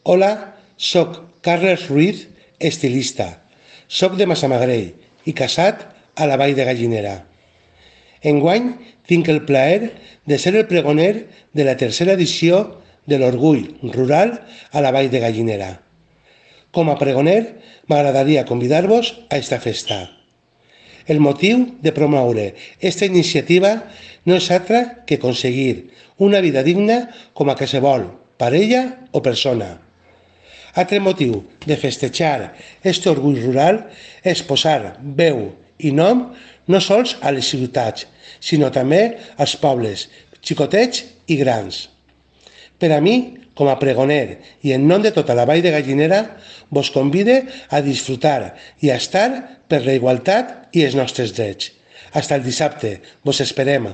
Hola, soc Carles Ruiz, estilista. Soc de Massamagrell i casat a la Vall de Gallinera. Enguany tinc el plaer de ser el pregoner de la tercera edició de l'Orgull Rural a la Vall de Gallinera. Com a pregoner, m'agradaria convidar-vos a esta festa. El motiu de promoure esta iniciativa no és altre que aconseguir una vida digna com a qualsevol parella o persona. Altre motiu de festejar este orgull rural és posar veu i nom no sols a les ciutats, sinó també als pobles, xicotets i grans. Per a mi, com a pregoner i en nom de tota la Vall de Gallinera, vos convide a disfrutar i a estar per la igualtat i els nostres drets. Fins el dissabte. Vos esperem.